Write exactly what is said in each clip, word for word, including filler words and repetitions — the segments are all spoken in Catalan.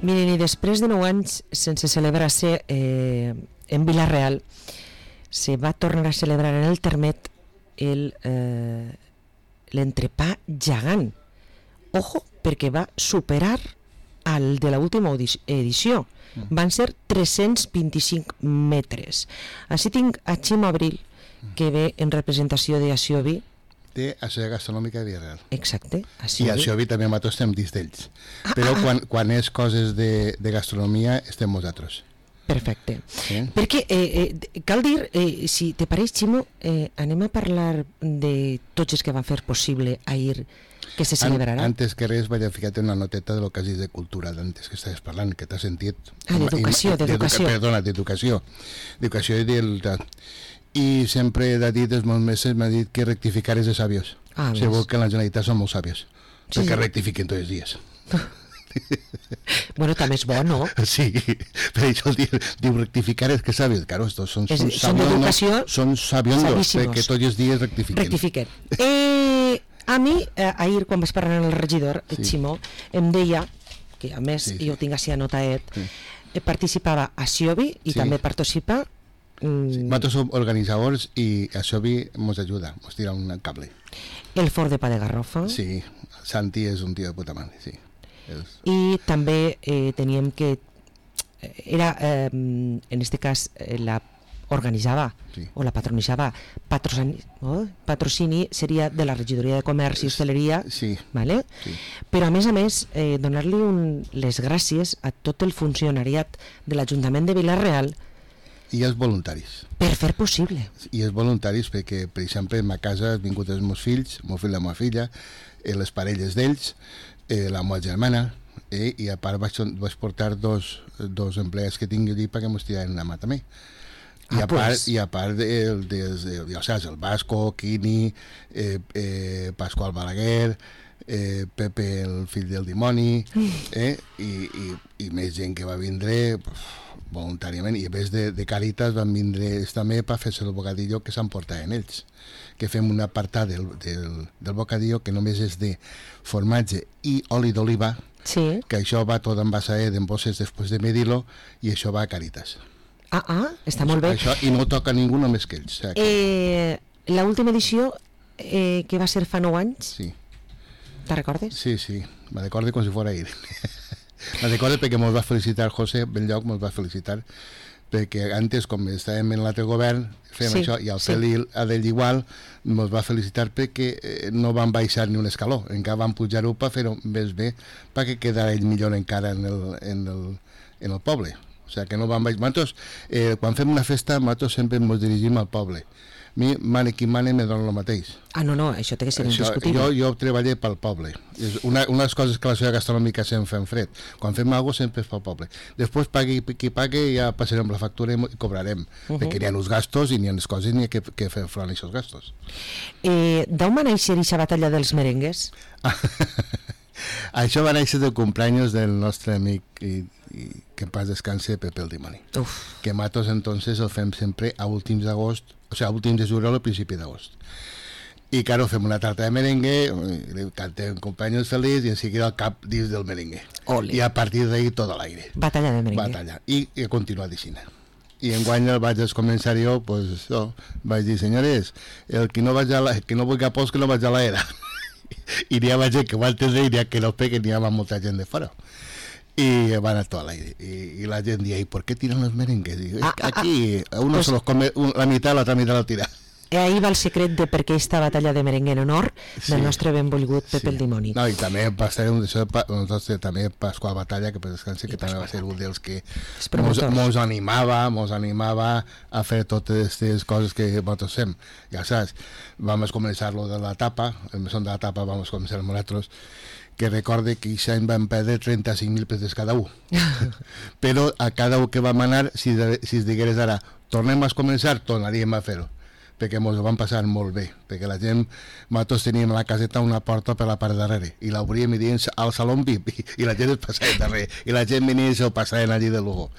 Miren, i després de nou anys sense celebrar-se eh, en Vila-real, se va tornar a celebrar en el Termet el, eh, l'entrepà gegant. Ojo, perquè va superar el de l'última edició. Mm. Van ser tres-cents vint-i-cinc metres. Així tinc a Ximo Abril, que ve en representació de Asiobi. De Associació Gastronòmica de Vila-real. Exacte. Asiobi. I Asiobi també nosaltres estem dins d'ells. Ah, Però ah, quan, quan és coses de, de gastronomia estem nosaltres. Perfecte. Sí? Perquè eh, eh, cal dir, eh, si te pareix, Ximo, eh, anem a parlar de tots els que van fer possible ahir que se celebrarà. An antes que res vaig a ficar-te una noteta de lo que has dit de cultura d'antes que estaves parlant, que t'has sentit. Ah, d'educació, d'educació. Perdona, d'educació. D'educació i del... I sempre he dit els meus meses, m'ha dit que rectificar és de sabios. Ah, segur que la Generalitat són molt sabios, sí, perquè sí. rectifiquen tots els dies. Bueno, també és bo, no? Sí, per això diu, diu rectificar és que sabios. Claro, estos són, són, són d'educació, són sabiondos, perquè tots els dies rectifiquen. Rectifiquen. Eh, a mi, eh, ahir, quan vaig parlar amb el regidor, sí. Ximo, em deia, que a més sí, sí. jo tinc així anotat, sí. eh, participava a Asiobi i sí. també participa... Mm, sí. Nosaltres som organitzadors i Asiobi ens ajuda, ens tira un cable. El Fort de Pa de Garrofa. Sí, Santi és un tio de puta mare, sí. És... I també eh, teníem que era eh, en este cas eh, la organitzava sí. o la patronitzava patrocini, oh, patrocini seria de la regidoria de comerç i hostaleria, sí. vale? Sí. Però a més a més eh, donar-li les gràcies a tot el funcionariat de l'Ajuntament de Vila-real i els voluntaris per fer possible. I els voluntaris perquè, per exemple, a ma casa han vingut els meus fills, el meu fill i la meva filla, eh, les parelles d'ells, eh, la meva germana, eh, i a part vaig, vaig portar dos, dos empleats que tinc allí perquè m'ho tiraran la mà també. I, ah, a part, pues. I a part de, de, de, de, o sea, el Vasco, Quini, eh, eh, Pasqual Balaguer, eh, Pepe el fill del dimoni, eh, i, i, i més gent que va vindre pues, voluntàriament, i a més de, de Càritas van vindre també per fer-se el bocadillo que s'emportaven ells, que fem un apartat del, del, del bocadillo que només és de formatge i oli d'oliva, sí. que això va tot envasat en bosses després de medir-lo i això va a Càritas. Ah, ah, està molt bé. Això, i no toca ningú només que ells. O sigui, que... eh, l'última edició eh, que va ser fa nou anys, sí. Te'n recordes? Sí, sí, me recordo com si fos ahir. Me recordo perquè mos va felicitar José Benlloc, mos va felicitar perquè antes, com estàvem en l'altre govern, fem sí, això, i al sí. Feli a d'ell igual, mos va felicitar perquè eh, no van baixar ni un escaló, encara van pujar-ho per fer-ho més bé, perquè quedara ell millor encara en el, en el, en el poble. O sigui, que no van baixar. Nosaltres, eh, quan fem una festa, nosaltres sempre ens dirigim al poble. A mi, mane qui mane, me dona el mateix. Ah, no, no, això té que ser indiscutible. Jo, jo treballé pel poble. És una, una de les coses que la societat gastronòmica sempre fem fred. Quan fem alguna cosa sempre és pel poble. Després, pagui qui pague, ja passarem la factura i cobrarem. Uh -huh. Perquè n'hi ha uns gastos i n'hi ha les coses i n'hi ha que, que fer front a aquests gastos. Eh, D'on va néixer aquesta batalla dels merengues? Això va néixer del cumpleaños del nostre amic i, i que en paz descanse, Pepe el dimoni. Uf. Que matos entonces el fem sempre a últims d'agost, o sigui, a últims de juliol o principi d'agost. I claro, fem una tarta de merengue, li cantem cumpleaños feliç i en seguida el cap dins del merengue. Ole. I a partir d'ahí tot a l'aire. Batalla de merengue. Batalla. I, i a continuar d'aixina. I enguany el vaig començar jo, pues, oh, vaig dir, senyores, el que no, vaig a la, el que no vulgui a pols que no vaig a la era. I n'hi ha gent que va entendre i n'hi ha que no peguen, n'hi ha molta gent de fora. Y van a todo al aire. Y, y la gente dice, ¿y por qué tiran los merengues? Digo, ah, aquí ah, uno pues, se los come un, la mitad, la otra mitad la tira. Ahí va el secret de per què aquesta batalla de merengue en honor sí. del nostre benvolgut Pepe sí. el dimoni. No, i també va ser un d'això, nosaltres també Pasqual Batalla, que per descansi, que I també Pasqual. Va ser un dels que mos, mos animava, mos animava a fer totes aquestes coses que nosaltres fem. Ja saps, vam començar lo de la tapa, el mesón de la tapa vam començar nosaltres, que recorde que aquest any vam perdre trenta-cinc mil pesos cada un. Però a cada un que vam anar, si, de, si es digués ara, tornem a començar, tornaríem a fer-ho, perquè ens ho vam passar molt bé, perquè la gent, nosaltres teníem a la caseta una porta per la part de darrere, i l'obríem i dient al saló V I P, i, i la gent es passava darrere, i la gent venia i se'l passaven allí de lujo.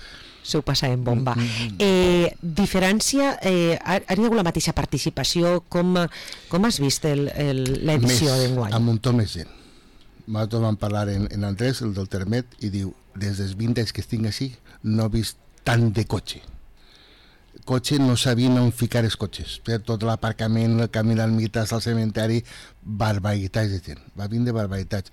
S'ho passàvem bomba. Mm-hmm. Eh, diferència, eh, ha, ha hagut la mateixa participació, com, com has vist l'edició d'enguany? Amb un to més gent. nosaltres vam parlar en, en Andrés, el del Termet, i diu, des dels vint anys que estic així, no he vist tant de cotxe. Cotxe no sabien on ficar els cotxes. Per tot l'aparcament, el camí d'almites al cementeri, barbaritats de gent. Va vindre barbaritats.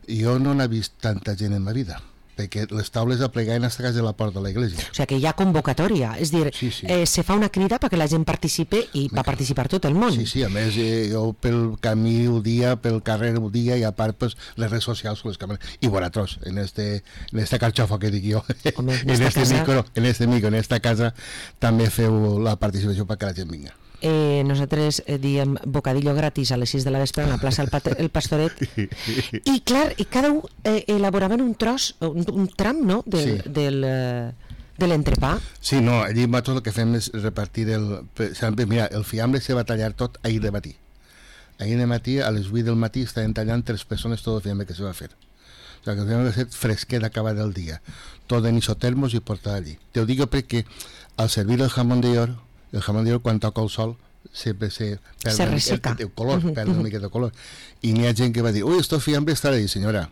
Jo no n'he vist tanta gent en ma vida, perquè les taules aplegaven a casa de la porta de l'església. O sigui que hi ha convocatòria, és dir, sí, sí. Eh, se fa una crida perquè la gent participe i va participar tot el món. Sí, sí, a més eh, jo pel camí ho dia, pel carrer ho dia i a part pues, les redes socials les càmeres. I vosaltres, en este, en esta carxofa que dic jo, Home, en, en, este casa... micro, en este micro, en esta casa, també feu la participació perquè la gent vinga. Eh, nosaltres eh, diem bocadillo gratis a les sis de la vespre a la plaça El, el Pastoret i clar, i cada un eh, elaboraven un tros, un, un tram, no? Del, sí. del, eh, de l'entrepà. Sí, no, allí tot el que fem és repartir el... Mira, el fiambre se va tallar tot ahir de matí. Ahir de matí, a les vuit del matí, estaven tallant tres persones tot el fiambre que se va fer. O sigui, que el fiambre va ser fresquet d'acabar del dia. Tot en isotermos i portar allí. Te ho dic perquè al servir el jamón de oro, el jamón de oro, quan toca el sol, sempre se perd se resseca. El, el color, uh -huh, perd una miqueta de color. Y ni hay gente que va a decir, uy, esto fiambre está ahí, señora.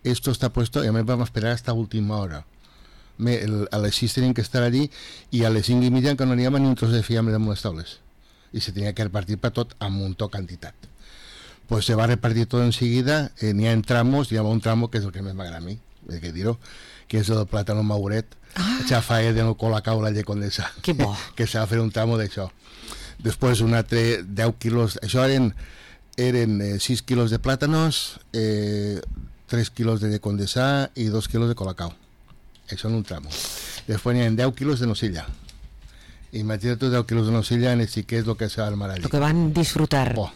Esto está puesto y a mí vamos a esperar hasta última hora. Me, el, a les sis tenían que estar allí y a les cinc i mitja que no n'hi havia ni un tros de fiambre damunt les taules. I se tenia que repartir per tot amb un to quantitat. Pues se va repartir tot enseguida, eh, n'hi ha en tramos, hi ha un tramo que és el que més m'agrada a mi, he de dir-ho, que és el plàtano mauret, ah. xafaet de no colacau la llet condensada. Que bo. Que s'ha de fer un tramo d'això. Després un altre deu quilos, això eren, eren eh, sis quilos de plàtanos, eh, tres quilos de llet condensada i dos quilos de colacau. Això en un tramo. Després n'hi ha deu quilos de nocilla. Imagina't deu quilos de nocilla en el sí que és el que s'ha armar allí. Lo que van disfrutar. Oh,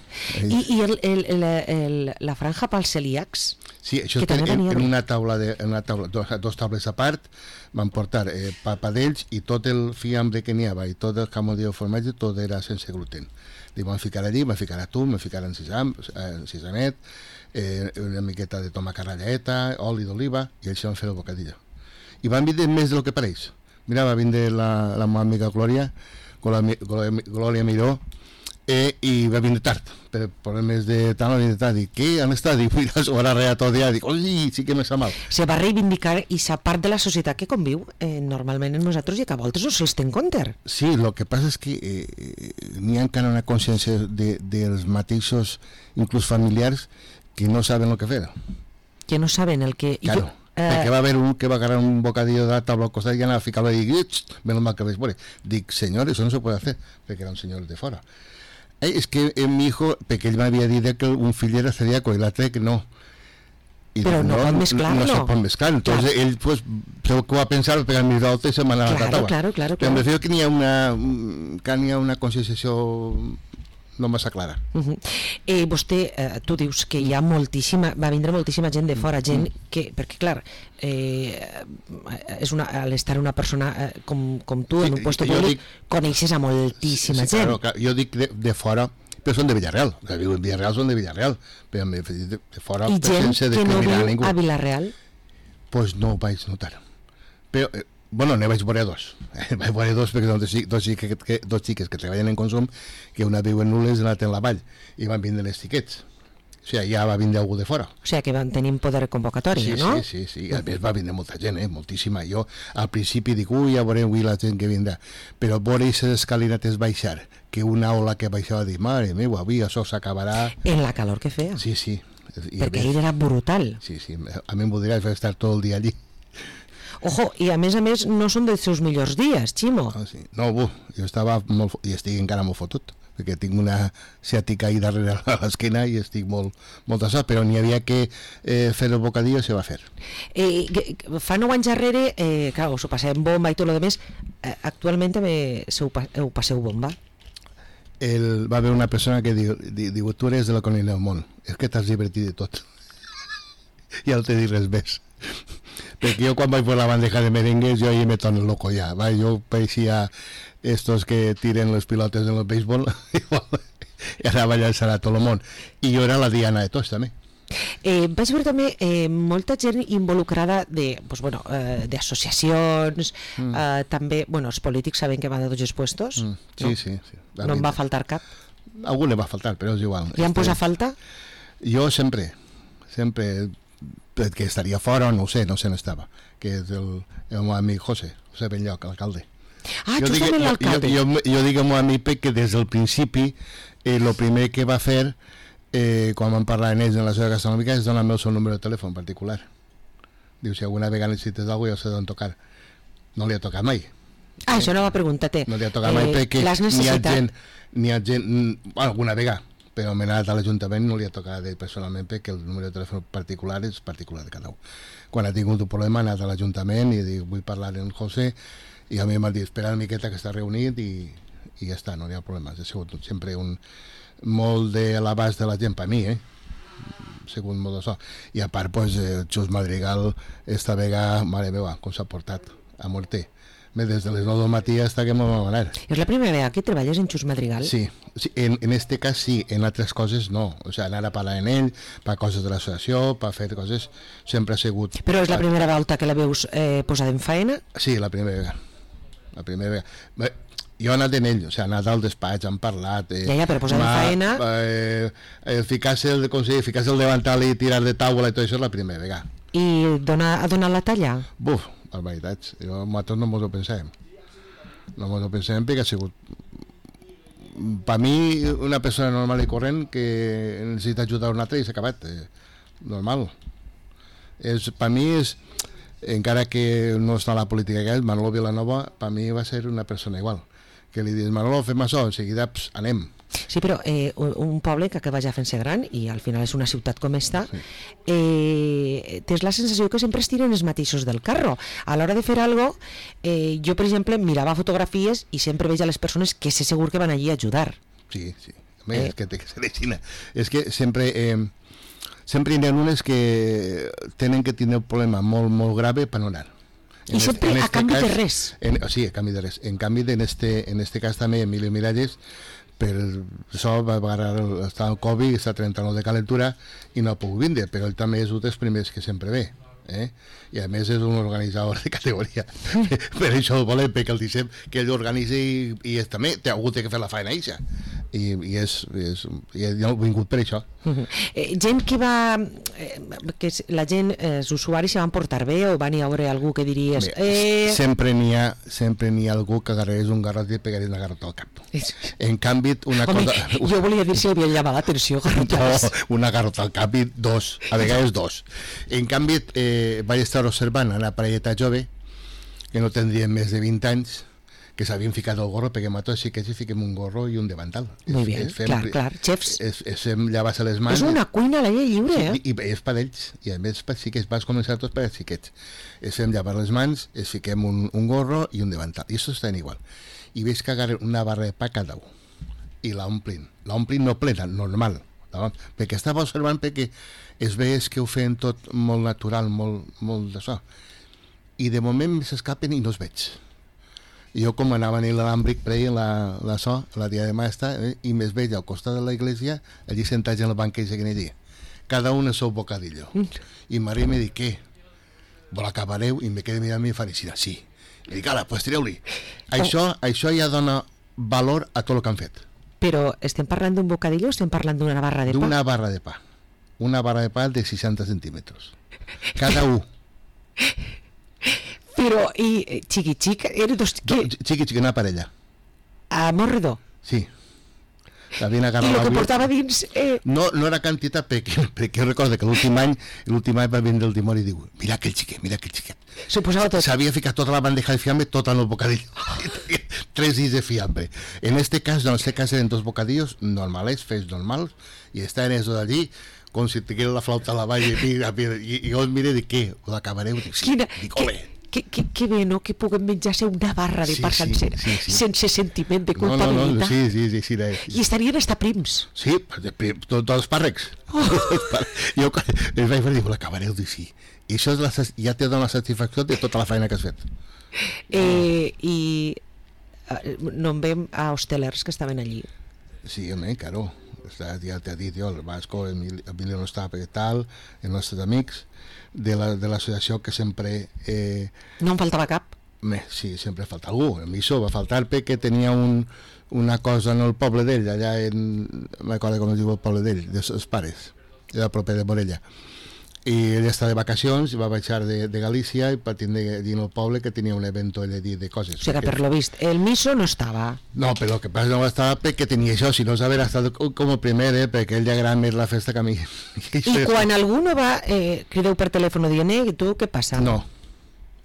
I i el, el, el, el, la franja pels celíacs? Sí, això és en, en una taula, de, en una taula dos, dos taules a part, van portar eh, papadells i tot el fiambre que n'hi havia i tot el jamón de formatge, tot era sense gluten. Li van ficar allí, van ficar atún, van ficar en sisam, eh, sisamet, eh, una miqueta de tomàquet ratlleta, oli d'oliva, i això van fer el bocadillo. I van vindre més del que pareix. Mira, va vindre la, la meva amiga Glòria, Glòria, Glòria Miró, eh, i va vindre tard, per problemes de tant, va vindre tard. Dic, què? On està? Dic, mira, s'ho va arreglar tot dia. Dic, oi, sí que me sa mal. Se va reivindicar i sa part de la societat que conviu eh, normalment en nosaltres i que a voltes no se'ls ten compte. Sí, el que passa és que eh, n'hi ha encara una consciència de, dels mateixos, inclús familiars, que no saben el que fer. Que no saben el que... Claro. Jo... Eh... perquè va haver un que va agarrar un bocadillo de taula al costat i anar a ficar-lo i dir, menos mal que veis por ahí. Dic, señor, eso no se puede hacer, perquè era un senyor de fora. Eh, és que eh, mi hijo, perquè ell m'havia dit que un fill era celíaco i l'altre que no. I però no, no pot mesclar-lo. No se pot mesclar. Entonces claro. Él, pues, creo que va a pensar, pegar mis datos y se me la claro, taula. Claro, claro, però claro. em refiero que n'hi ha una, que n'hi ha una conscienciació no massa clara. Uh -huh. eh, vostè, eh, tu dius que hi ha moltíssima, va vindre moltíssima gent de fora, gent que, perquè clar, eh, és una, al estar una persona eh, com, com tu en un lloc públic, dic, coneixes a moltíssima sí, sí, gent. Claro, claro, jo dic de, de fora, però són de Villarreal, o sigui, en Villarreal són de Villarreal, però de, de fora i gent sense que no viu ningú. A Villarreal? Pues no ho vaig notar. Però eh, bueno, ne vaig veure dos. Eh, vaig veure dos perquè són dos, dos, xiques, que, dos xiques que treballen en consum, que una viu en Nules i l'altra en la Vall, i van vindre les xiquets. O sigui, ja va vindre algú de fora. O sigui, que van tenir poder convocatòria, sí, no? Sí, sí, sí. A més va vindre molta gent, eh? Moltíssima. Jo al principi dic, ui, ja veurem avui la gent que vindrà. Però veure aquestes escalinates baixar, que una ola que baixava, dic, mare meva, avui això s'acabarà... En la calor que feia. Sí, sí. I perquè ell era brutal. Sí, sí. A mi em voldria estar tot el dia allí. Ojo, i a més a més no són dels seus millors dies, Ximo. Ah, sí. No, bu, jo estava molt, i estic encara molt fotut, perquè tinc una ciàtica ahí darrere a l'esquena i estic molt, molt assat, però n'hi havia que eh, fer el bocadillo i se va fer. Eh, fa nou anys darrere, eh, clar, us ho passem bomba i tot el demés, eh, actualment també se ho, ho passeu bomba? El, va haver una persona que diu, diu tu eres de la Colina del Món, és que t'has divertit de tot. I ja no te dic res més. Perquè jo quan vaig per la bandeja de merengues jo ahí me torno loco ja, va? Jo pareixia estos que tiren les pilotes en el béisbol i anava a llançar a tot el món, i jo era la diana de tots també. Eh, vaig veure també eh, molta gent involucrada de, pues, bueno, eh, d'associacions, mm. eh, també, bueno, els polítics saben que van de tots els puestos, mm. sí, no? sí, sí. No em va faltar cap? Algú li va faltar, però és igual. I em posa falta? Jo sempre sempre, que estaria fora o no ho sé, no sé on estava, que és el, el meu amic José, José Benlloc, l'alcalde. Ah, jo justament l'alcalde. Jo, jo, jo dic al meu amic que des del principi el eh, primer que va fer eh, quan vam parlar amb ells en la seva gastronòmica és donar-me el seu número de telèfon particular. Diu, si alguna vegada necessites alguna cosa, ja sé d'on tocar. No li ha tocat mai. Ah, això no va preguntar-te. No li ha tocat mai eh, perquè n'hi ha gent, n'hi ha gent, bueno, alguna vegada, però m'he anat a l'Ajuntament, no li ha tocat ell personalment perquè el número de telèfon particular és particular de cada un. Quan ha tingut un problema ha anat a l'Ajuntament i dic, vull parlar amb el José, i a mi m'ha dit, espera una miqueta que està reunit i, i ja està, no hi ha problemes. Ha sigut sempre un molt de l'abast de la gent per mi, eh? Ha sigut molt d'això. I a part, pues, eh, Xus Madrigal, esta vegada, mare meva, com s'ha portat a morter. Des de les nou del matí hasta que m'ho va anar. És la primera vegada que treballes en Xus Madrigal? Sí, sí en, en este cas sí, en altres coses no. O sigui, anar a parlar amb ell, per coses de l'associació, per fer coses, sempre ha sigut... Però és la primera volta que la veus eh, posada en faena? Sí, la primera vegada. La primera vegada. Bé, jo he anat en ell, o sigui, he anat al despatx, hem parlat... Eh, ja, ja, però posar en faena... Eh, eh, ficar-se el, com si, ficar-se el davantal i tirar de taula i tot això és la primera vegada. I dona, ha donat la talla? Buf, barbaritats. Jo, nosaltres no mos ho pensem. No mos ho pensem perquè ha sigut... Per mi, una persona normal i corrent que necessita ajudar un altre i s'ha acabat. Eh, normal. És, per mi és... Encara que no està a la política que és, Manolo Vilanova, per mi va ser una persona igual. Que li dius, Manolo, fem això, en seguida, ps, anem. Sí, però eh, un poble que acaba ja fent-se gran i al final és una ciutat com esta, sí. eh, tens la sensació que sempre es tiren els mateixos del carro. A l'hora de fer alguna cosa, eh, jo, per exemple, mirava fotografies i sempre veig a les persones que sé segur que van allí a ajudar. Sí, sí. A més, eh. és que té que ser així. És que sempre... Eh, sempre hi ha unes que tenen que tenir un problema molt, molt grave per no anar. I sempre a canvi de res. En, sí, a canvi de res. En canvi, en este, en este cas també, Emilio Miralles, per això va agarrar el, està el Covid, està a trenta-nou de calentura i no ha pogut vindre, però ell també és un dels primers que sempre ve. Eh? I a més és un organitzador de categoria. Per això el volem, perquè el deixem que ell organitza i, i és, també té hagut de fer la feina eixa. I, i és, és i ha vingut per això. Uh-huh. eh, gent que va eh, que la gent, eh, els usuaris se van portar bé o van hi haure algú que diries bé, eh... sempre n'hi ha sempre n'hi ha algú que agarrés un garrot i pegaria una garrota al cap. En canvi una Home, cosa... jo volia dir si havia llamat l'atenció garrotades. No, una garrota al cap i dos, a vegades dos. En canvi eh, vaig estar observant una parelleta jove que no tindrien més de vint anys que s'havien ficat el gorro, perquè nosaltres sí que sí fiquem un gorro i un davantal. Muy bien, fem, clar, clar, xefs. És, és fem llevar-se les mans. És una cuina a l'aire lliure, eh? I, i és per ells, i a més per xiquets, vas començar tots per els xiquets. Es fem llevar les mans, es fiquem un, un gorro i un davantal, i això està igual. I veig que agarren una barra de pa cada un, i l'omplin. L'omplin no plena, normal, no? Perquè estava observant perquè es veig que ho feien tot molt natural, molt, molt d'això. I de moment s'escapen i no els veig. Jo com anava a l'Alhàmbric preia la, la so, la diadema esta, eh, i més veig al costat de la iglesia, allí sentats en el banquet que allí. Cada un el seu bocadillo. Mm. I Maria me diu, què? Vol acabareu? I me queda mirant mi faricida. Sí. I dic, ala, pues treu-li. Oh. Això, això ja dona valor a tot el que han fet. Però estem parlant d'un bocadillo o estem parlant d'una barra de pa? D'una barra de pa. Una barra de pa de seixanta centímetres. Cada un. Però, i xiqui-xic, eren dos... No, xiqui-xic, una parella. A Morredor? Sí. I el que portava dins... Eh... No, no era quantitat, perquè, perquè jo recordo que l'últim any l'últim any va vindre el dimoni i diu, mira aquell xiquet, mira aquell xiquet. S'ho posava tot. S'havia ficat tota la bandeja de fiambre, tot en el bocadillo. Tres dits de fiambre. En este cas, no, en este cas eren dos bocadillos normales, fets normals, i estaven eso d'allí, com si tingués la flauta a la vall, i, i, i, i jo em miré i dic, què? Ho acabareu? Dic, sí. Quina, dic, ole. Que, que, que bé, no?, que puguem menjar-se una barra de sí, pa sí, sencera, sí, sí. sense sentiment de culpabilitat. No, no, no, sí, sí, sí, sí, sí. I estarien hasta prims. Sí, tots els pàrrecs. Oh. Jo els vaig dir, l'acabareu de sí. I això és la, ja te dona la satisfacció de tota la feina que has fet. Eh, I eh, no en veiem a hostelers que estaven allí. Sí, home, claro. Ja t'he dit jo, el Vasco, Emilio no estava perquè tal, els nostres amics de l'associació la, que sempre... Eh, no em faltava cap? Bé, sí, sempre falta algú. A mi això va faltar perquè tenia un, una cosa en el poble d'ell, allà en... m'acordo com es diu el poble d'ell, dels pares, era proper de Morella. i ell està de vacacions i va baixar de, de Galícia i va tindre dir al poble que tenia un evento ell de, de coses. O sigui, perquè... per lo vist, el miso no estava. No, però el que passa no estava perquè tenia això, si no s'haver estat com el primer, eh, perquè ell li agrada més la festa que a mi. I, I quan algú no va, eh, crideu per telèfon dient, eh, tu què passa? No,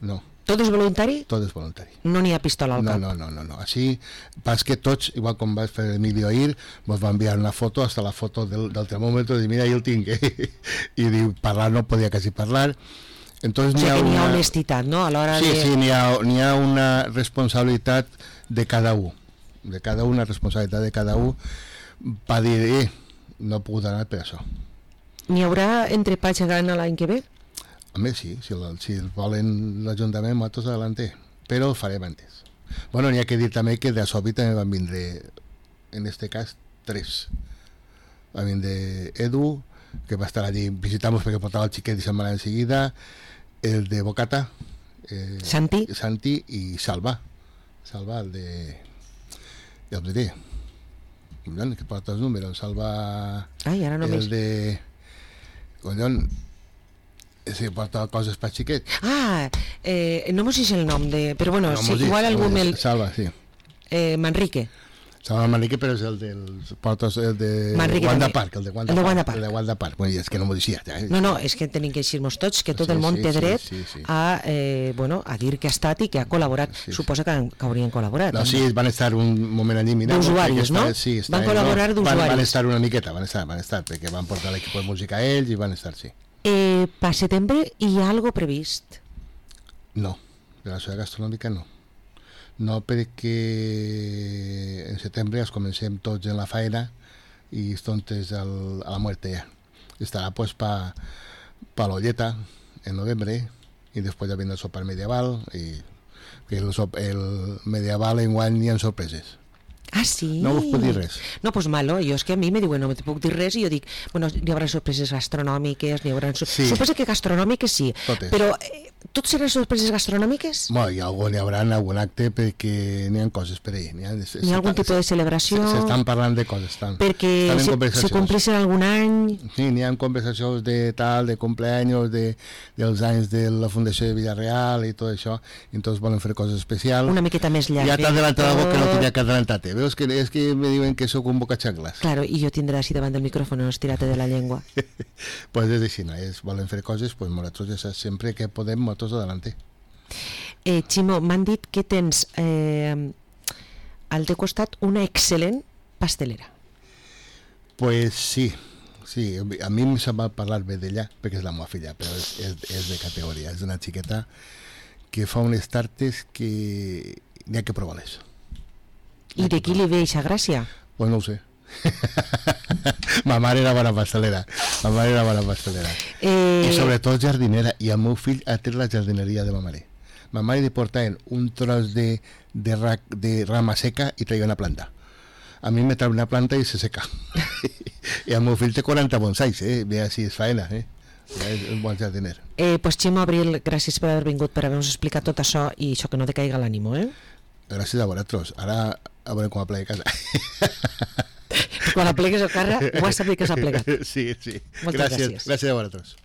no. Tot és voluntari? Tot és voluntari. No n'hi ha pistola al no, cap? No, no, no, no. Així, pas que tots, igual com va fer Emilio ahir, ens va enviar una foto, hasta la foto del, del termòmetre, i mira, jo el tinc, eh? I diu, parlar no podia quasi parlar. Entonces, o sigui n'hi ha que n'hi ha una... honestitat, no? A l'hora sí, de... sí, n'hi ha, n'hi ha una responsabilitat de cada un. De cada un, una responsabilitat de cada un, per dir, eh, no puc anar per això. N'hi haurà entrepà gegant l'any que ve? A més, sí, si el, si el volen l'Ajuntament, nosaltres adelante, però el farem antes. Bueno, n'hi ha que dir també que de Sobi també van vindre, en este cas, tres. Va vindre Edu, que va estar allí, visitamos perquè portava el xiquet i se'n va anar enseguida, el de Bocata, eh, Santi. Santi i Salva. Salva, el de... ja us diré, que porta els números, Salva... Ai, ara només... El de... Collons, sí, porta coses per xiquet. Ah, eh, no m'ho sé el nom de... Però bueno, no, sí, igual algú no, me'l... Salva, sí. Eh, Manrique. Salva Manrique, però és el del... Portes el de Manrique Wanda també. Park, el de Wanda, el de Park, Wanda Park. El de Wanda Park. Bueno, és que no m'ho deixia. Eh? No, no, és que tenim que dir-nos tots que tot Sí, el món sí, té sí, dret sí, sí. a, eh, bueno, a dir que ha estat i que ha col·laborat. Sí, sí. Suposa que, que haurien col·laborat. No, sí, van estar un moment allí mirant. D'usuaris, no? Sí, està, van col·laborar no? d'usuaris. Van, van estar una miqueta, van estar, van estar, perquè van portar l'equip de música a ells i van estar, sí. Eh, per setembre hi ha algo previst? No, de la societat gastronòmica no. No, perquè en setembre els comencem tots en la feina i estontes al, a la muerte ja. Estarà pues pa, pa l'olleta en novembre i després ja vindrà el sopar medieval i que el, sop, el medieval enguany hi ha sorpreses. Ah, sí? No us puc dir res. No, pues malo, jo és que a mi me diuen no me puc dir res i jo dic, bueno, hi haurà sorpreses gastronòmiques, n'hi haurà... Sí. Suposa que gastronòmiques sí, Totes. però eh, tot seran sorpreses gastronòmiques? Bueno, hi, ha algun, hi haurà algun acte perquè n'hi ha coses per ahí. N'hi ha, N'hi ha algun tipus de celebració? S'estan parlant de coses. Estan, perquè estan se, se compleixen algun any? Sí, n'hi ha conversacions de tal, de cumpleaños, de, dels anys de la Fundació de Villarreal i tot això, i tots volen fer coses especials. Una miqueta més llarga. Ja t'ha adelantat algo que no tenia que adelantar-te. Veus que és que me diuen que sóc un bocaxangles. Claro, i jo tindré així davant del micròfon estirate de la llengua. Pues és així, no? És, volen fer coses, pues nosaltres ja saps, sempre que podem, nosaltres adelante. Eh, Ximo, m'han dit que tens eh, al teu costat una excel·lent pastelera. Pues sí, sí, a mi se'm va parlar bé d'ella perquè és la meva filla, però és, és, és de categoria, és una xiqueta que fa unes tartes que n'hi ha que provar-les. I de qui li ve eixa gràcia? Pues no ho sé. Ma mare era bona pastelera, ma mare era bona pastelera. Eh... I sobretot jardinera, i el meu fill ha tret la jardineria de ma mare. Ma mare li portaven un tros de, de, ra, de rama seca i traia una planta. A mi me trau una planta i se seca. I el meu fill té quaranta bonsais, eh? Ve així, és faena, eh? És un bon jardiner. Eh, pues Ximo Abril, gràcies per haver vingut, per haver-nos explicat tot això i això que no decaiga l'ànimo, eh? Gràcies a vosaltres. Ara a veure com aplega casa. Quan aplegues el carre, ho has sabut que s'ha plegat. Sí, sí. Moltes gràcies. gràcies. Gràcies a vosaltres.